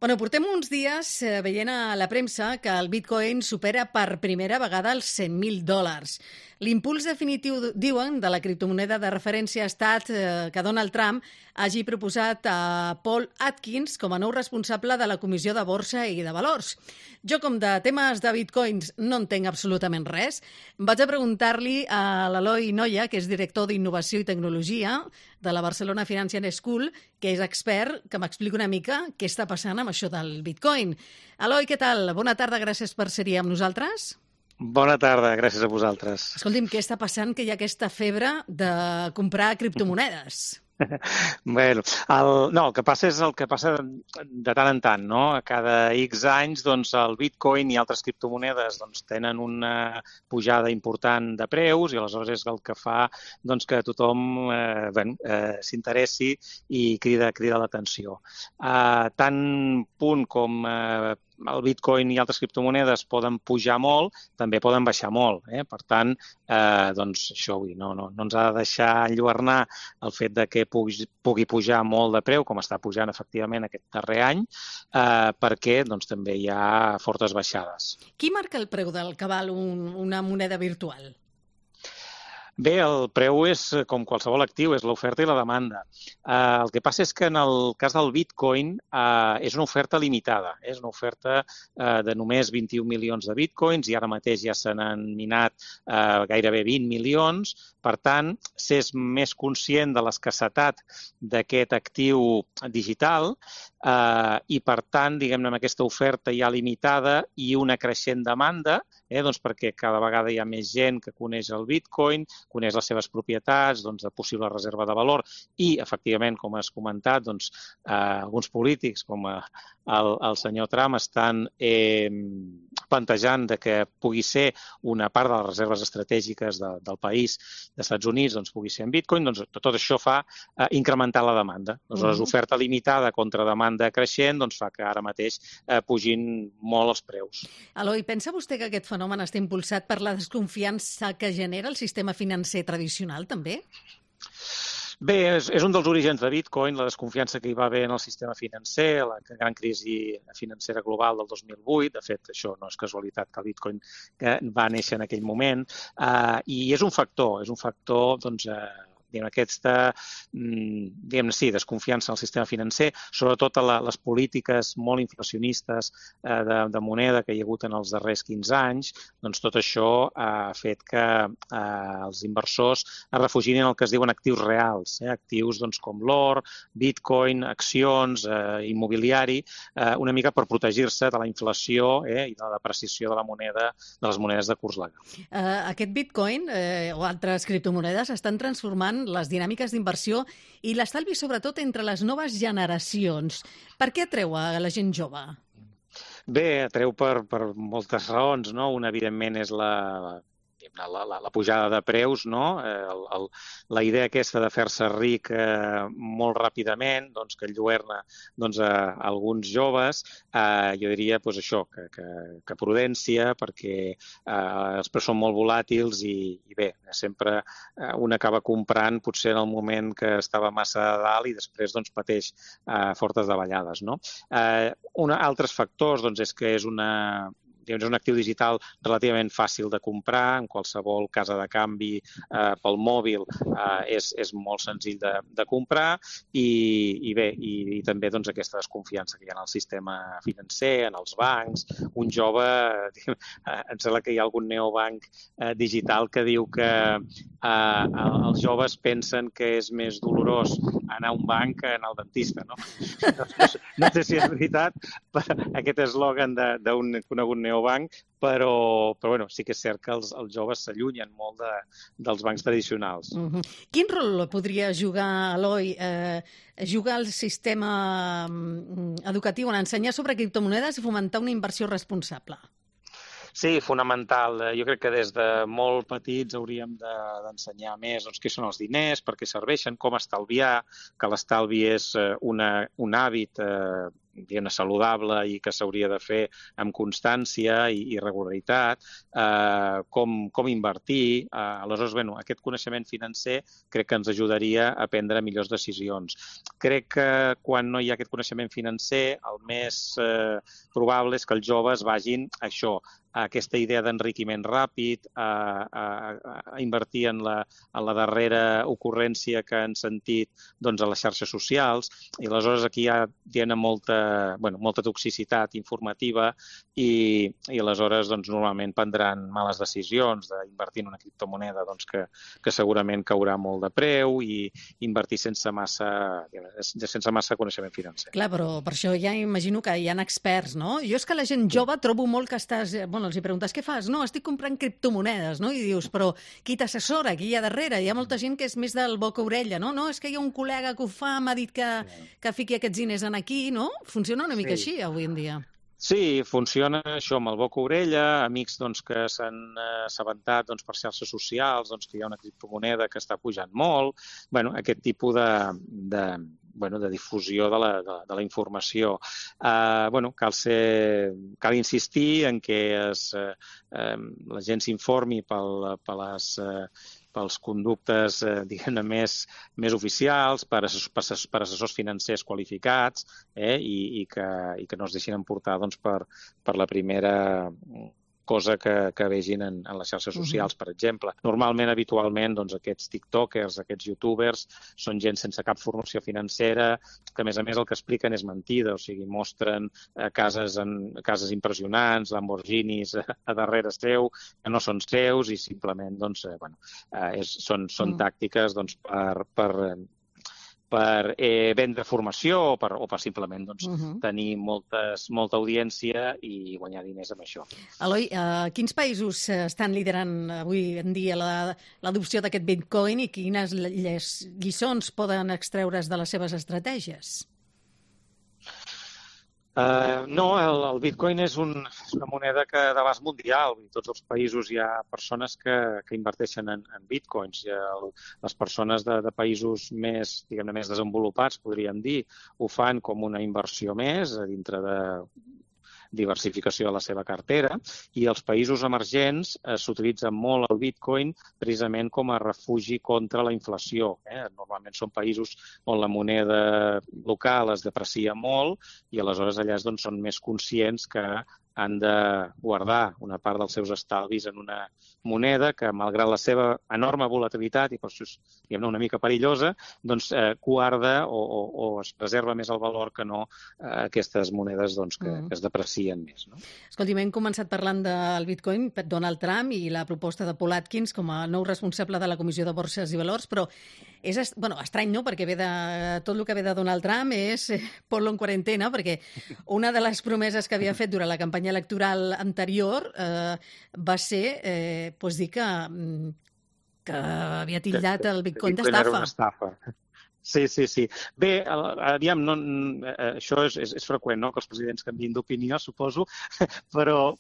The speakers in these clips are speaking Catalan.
Bueno, portem uns dies veient a la premsa que el Bitcoin supera per primera vegada els $100.000. L'impuls definitiu, diuen, de la criptomoneda de referència ha estat que Donald Trump hagi proposat a Paul Atkins com a nou responsable de la Comissió de Borsa i de Valors. Jo, com de temes de bitcoins no entenc absolutament res, vaig a preguntar-li a l'Eloi Noya, que és director d'Innovació i Tecnologia de la Barcelona Financial School, que és expert, que m'expliqui una mica què està passant amb això del bitcoin. Eloi, què tal? Bona tarda, gràcies per ser-hi amb nosaltres. Bona tarda, gràcies a vosaltres. Escolti'm, què està passant que hi ha aquesta febre de comprar criptomonedes? Bueno, el que passa és el que passa de tant en tant, no? A cada X anys, doncs, el Bitcoin i altres criptomonedes tenen una pujada important de preus i aleshores és el que fa que tothom s'interessi i crida l'atenció. Tant punt com el Bitcoin i altres criptomonedes poden pujar molt, també poden baixar molt. Per tant, això no ens ha de deixar enlluernar el fet de que pugui pujar molt de preu, com està pujant efectivament aquest darrer any, perquè també hi ha fortes baixades. Qui marca el preu del que val una moneda virtual? Bé, el preu és com qualsevol actiu, és l'oferta i la demanda. El que passa és que en el cas del Bitcoin és una oferta limitada, és una oferta de només 21 milions de Bitcoins i ara mateix ja se n'han minat gairebé 20 milions. Per tant, s'és més conscient de l'escassetat d'aquest actiu digital i, per tant, diguem-ne, amb aquesta oferta ja limitada i una creixent demanda, perquè cada vegada hi ha més gent que coneix el Bitcoin, coneix les seves propietats, de possible reserva de valor i, efectivament, com has comentat, alguns polítics com el senyor Trump estan plantejant que pugui ser una part de les reserves estratègiques del país dels Estats Units, pugui ser en Bitcoin, tot això fa incrementar la demanda. Aleshores, oferta limitada contra demanda creixent fa que ara mateix pugin molt els preus. Eloi, pensa vostè que aquest fenomen està impulsat per la desconfiança que genera el sistema financer tradicional, també? Bé, és un dels orígens de Bitcoin, la desconfiança que hi va haver en el sistema financer, la gran crisi financera global del 2008. De fet, això no és casualitat que el Bitcoin va néixer en aquell moment. I és un factor, aquesta desconfiança en el sistema financer, sobretot a les polítiques molt inflacionistes de moneda que hi ha hagut en els darrers 15 anys, tot això ha fet que els inversors es refugin en el que es diuen actius reals, actius com l'or, Bitcoin, accions, immobiliari, una mica per protegir-se de la inflació i de la depreciació de la moneda, de les monedes de curs legal. Aquest Bitcoin o altres criptomonedes estan transformant les dinàmiques d'inversió i l'estalvi, sobretot, entre les noves generacions. Per què atreu a la gent jove? Bé, atreu per moltes raons, no? Una, evidentment, és la pujada de preus, no? La idea aquesta de fer-se ric molt ràpidament, que enlluerna a alguns joves, jo diria això, que prudència, perquè els preus són molt volàtils i bé, sempre un acaba comprant potser en el moment que estava massa a dalt i després pateix fortes davallades, no? Altres factors és que és un actiu digital relativament fàcil de comprar, en qualsevol casa de canvi pel mòbil és molt senzill de comprar i bé, i també aquesta desconfiança que hi ha en el sistema financer, en els bancs. Un jove, em sembla que hi ha algun neobanc digital que diu que els joves pensen que és més dolorós anar a un banc que anar al dentista, no? No sé si és veritat, aquest eslògan d'un conegut neobanc, però sí que és cert que els joves s'allunyen molt dels bancs tradicionals. Quin rol podria jugar, Eloi, jugar el sistema educatiu en ensenyar sobre criptomonedes i fomentar una inversió responsable? Sí, fonamental. Jo crec que des de molt petits hauríem d'ensenyar més què són els diners, per què serveixen, com estalviar, que l'estalvi és un hàbit diguem-ne, saludable i que s'hauria de fer amb constància i regularitat, com invertir. Aleshores, aquest coneixement financer crec que ens ajudaria a prendre millors decisions. Crec que quan no hi ha aquest coneixement financer, el més probable és que els joves vagin a això, a aquesta idea d'enriquiment ràpid, a invertir en la darrera ocurrència que han sentit a les xarxes socials, i aleshores aquí hi ha molta toxicitat informativa i aleshores normalment prendran males decisions d'invertir en una criptomoneda que segurament caurà molt de preu i invertir sense massa coneixement financer. Clar, però per això ja imagino que hi ha experts, no? Jo és que la gent jove trobo molt que estàs... els hi preguntes, què fas? No, estic comprant criptomonedes, no? I dius, però qui t'assessora? Qui hi ha darrere? Hi ha molta gent que és més del boca-orella, no? No, és que hi ha un col·lega que ho fa, m'ha dit que fiqui aquests diners en aquí, no? Funciona una mica així avui en dia. Sí, funciona això amb el boca-orella, amics que s'han assabentat per xarxes socials que hi ha una criptomoneda que està pujant molt, aquest tipus de difusió de la informació. Cal insistir en que la gent s'informi pels conductes, diguem-ne, més oficials, per assessors financers qualificats, i que no es deixin emportar per la primera cosa que vegin en les xarxes socials, per exemple. Normalment, habitualment, aquests tiktokers, aquests youtubers, són gent sense cap formació financera, que a més el que expliquen és mentida, o sigui, mostren cases impressionants, Lamborghinis a darrere seu, que no són seus, i simplement són tàctiques per vendre formació o per simplement tenir molta audiència i guanyar diners amb això. Eloi, quins països estan liderant avui en dia l'adopció d'aquest Bitcoin i quines lliçons poden extreure's de les seves estratègies? No, el Bitcoin és una moneda que d'abast mundial. En tots els països hi ha persones que inverteixen en Bitcoins. Les persones de països més desenvolupats, podríem dir, ho fan com una inversió més dintre de diversificació de la seva cartera, i els països emergents s'utilitza molt el Bitcoin precisament com a refugi contra la inflació. Normalment són països on la moneda local es deprecia molt i aleshores allà són més conscients que han de guardar una part dels seus estalvis en una moneda que, malgrat la seva enorme volatilitat, i per això és una mica perillosa, guarda o es preserva més el valor que no aquestes monedes que es deprecien més. No? Escolti, hem començat parlant del Bitcoin per Donald Trump i la proposta de Paul Atkins com a nou responsable de la Comissió de Borses i Valors, però és estrany, no?, perquè tot el que ve de Donald Trump és ponlo en quarantena, perquè una de les promeses que havia fet durant la campanya electoral anterior va ser dir que havia titllat el Bitcoin d'estafa. Era una estafa. Sí. Bé, aviam, això és freqüent, no?, que els presidents canviïn d'opinió, suposo, però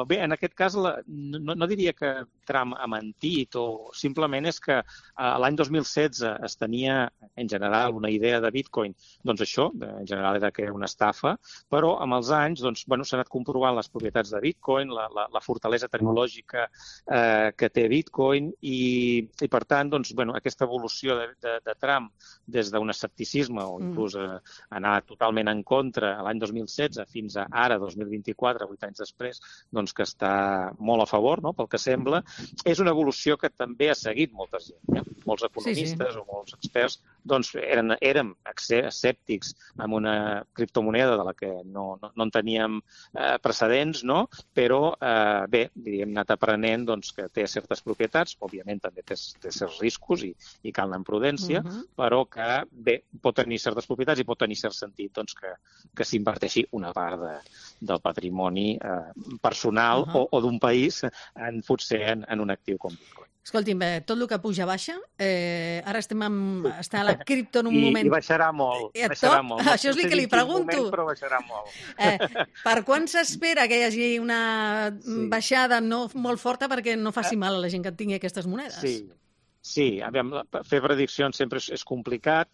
bé, en aquest cas no diria que Trump ha mentit, o simplement és que l'any 2016 es tenia, en general, una idea de Bitcoin, això, en general, era que era una estafa, però amb els anys s'ha anat comprovant les propietats de Bitcoin, la fortalesa tecnològica que té Bitcoin, i per tant, aquesta evolució de Trump des d'un escepticisme o inclús anar totalment en contra l'any 2016 fins a ara, 2024, 8 anys després, que està molt a favor, no?, pel que sembla, és una evolució que també ha seguit molta gent. Molts economistes o molts experts érem escèptics amb una criptomoneda de la que no en teníem precedents, no?, però bé, hem anat aprenent que té certes propietats, òbviament també té certs riscos i cal anar amb prudència, però que bé, pot tenir certes propietats i pot tenir cert sentit que s'inverteixi una part del patrimoni personal o d'un país potser en un actiu com Bitcoin. Escolti'm, tot el que puja baixa, ara està a la cripto en un moment... I baixarà molt, baixarà molt. No això és el que li pregunto. Moment, però baixarà molt. Per quan s'espera que hi hagi una baixada no molt forta perquè no faci mal a la gent que tingui aquestes monedes? Sí, fer prediccions sempre és complicat.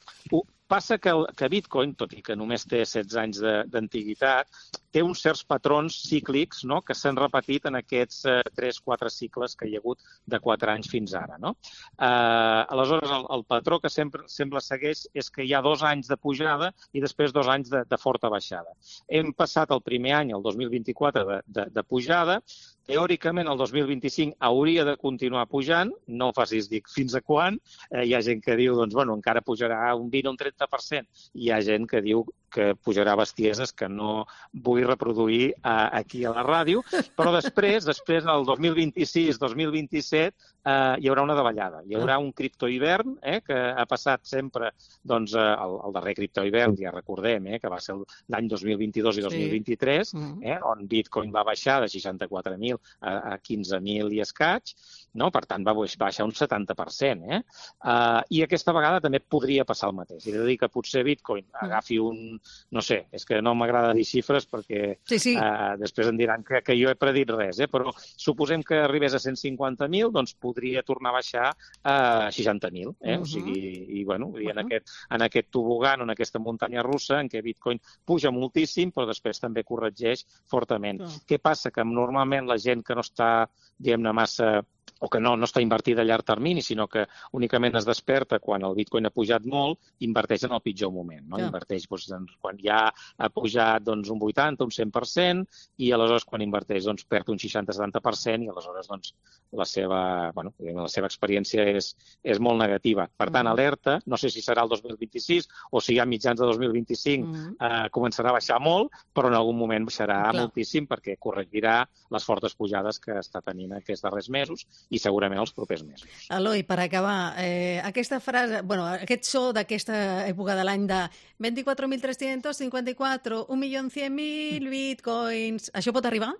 Passa que Bitcoin, tot i que només té 16 anys d'antiguitat, té uns certs patrons cíclics, no?, que s'han repetit en aquests 3-4 cicles que hi ha hagut de 4 anys fins ara. No? Aleshores, el patró que sempre segueix és que hi ha 2 anys de pujada i després 2 anys de forta baixada. Hem passat el primer any, el 2024, de pujada. Teòricament, el 2025 hauria de continuar pujant, no facis dir fins a quan. Hi ha gent que diu, doncs, bueno, encara pujarà un 20 o un 30%. Hi ha gent que diu que pujarà bestieses que no vull reproduir aquí a la ràdio, però després, el 2026-2027, hi haurà una davallada. Hi haurà un criptohivern, que ha passat sempre, doncs, el darrer criptohivern, ja recordem, que va ser l'any 2022 i 2023, on Bitcoin va baixar de 64.000 a 15.000 i escaig, no? Per tant, va baixar un 70%. I aquesta vegada també podria passar el mateix. És a dir, que potser Bitcoin agafi un... No sé, és que no m'agrada dir xifres perquè després em diran que jo he predit res, però suposem que arribés a 150.000, doncs podria tornar a baixar a 60.000. O sigui, i bueno, en aquest tobogan, en aquesta muntanya russa, en què Bitcoin puja moltíssim, però després també corregeix fortament. Què passa? Que normalment la gent que no està, diguem-ne, massa o que no està invertida a llarg termini, sinó que únicament es desperta quan el Bitcoin ha pujat molt, inverteix en el pitjor moment. No? Inverteix quan ja ha pujat un 80, un 100%, i aleshores quan inverteix perd un 60-70%, i aleshores la seva experiència és molt negativa. Per tant, alerta, no sé si serà el 2026 o si a mitjans de 2025 començarà a baixar molt, però en algun moment baixarà moltíssim perquè corregirà les fortes pujades que està tenint aquests darrers mesos i segurament els propers mesos. Eloi, per acabar, aquesta frase, aquest so d'aquesta època de l'any de 24.354, 1.100.000 bitcoins, això pot arribar?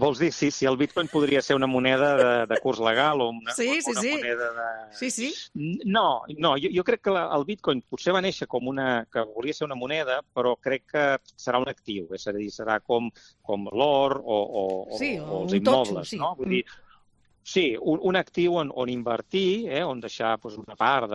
Vols dir si el Bitcoin podria ser una moneda de curs legal o una moneda de... Sí. No, jo crec que el Bitcoin potser va néixer que volia ser una moneda, però crec que serà un actiu, és a dir, serà com l'or o els immobles, no? Vull dir, sí, un actiu on invertir, on deixar una part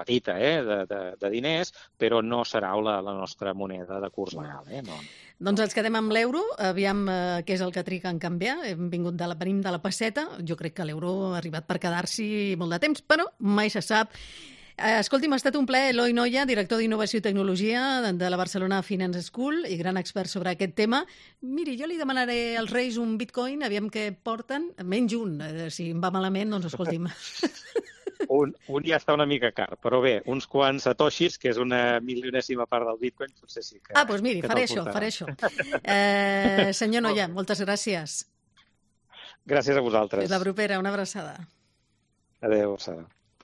petita de diners, però no serà la nostra moneda de curs legal. No. Doncs ens quedem amb l'euro, aviam què és el que triga en canviar. Venim de la pesseta, jo crec que l'euro ha arribat per quedar-s'hi molt de temps, però mai se sap. Escolti'm, ha estat un plaer, Eloi Noya, director d'Innovació i Tecnologia de la Barcelona Finance School i gran expert sobre aquest tema. Miri, jo li demanaré als Reis un bitcoin, aviam què porten, menys un. Si em va malament, doncs escolti'm. Un ja està una mica car, però bé, uns quants satoshis, que és una milionèsima part del Bitcoin, potser sí que... Doncs miri, faré això. Senyor Noya, moltes gràcies. Gràcies a vosaltres. Fins la propera, una abraçada. Adéu, abraçada.